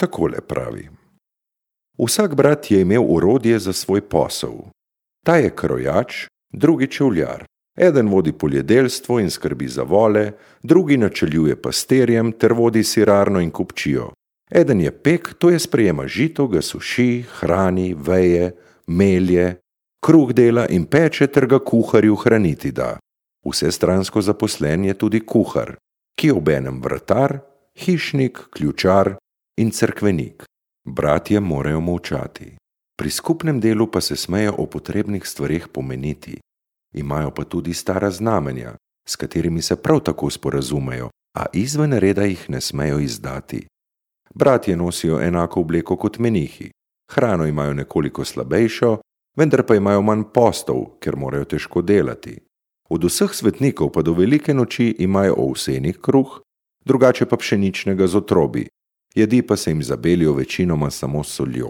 Takole pravi. Vsak brat je imel orodje za svoj posel. Ta je krojač, drugi čevljar. Eden vodi poljedelstvo in skrbi za vole, drugi načeljuje pastirjem ter vodi sirarno in kupčijo. Eden je pek, to je sprejema žito, ga suši, hrani, veje, melje, kruh dela in peče ter ga kuharju hraniti da. Vsestransko zaposlen je tudi kuhar, ki je obenem vratar, hišnik, ključar in cerkvenik. Bratje morajo molčati. Pri skupnem delu pa se smejo o potrebnih stvareh pomeniti. Imajo pa tudi stara znamenja, s katerimi se prav tako sporazumejo, a izven reda jih ne smejo izdati. Bratje nosijo enako obleko kot menihi. Hrano imajo nekoliko slabejšo, vendar pa imajo manj postov, ker morajo težko delati. Od vseh svetnikov pa do velike noči imajo ovsenih kruh, drugače pa pšeničnega z otrobi. Jedi pa se jim zabelijo večinoma samo s soljo.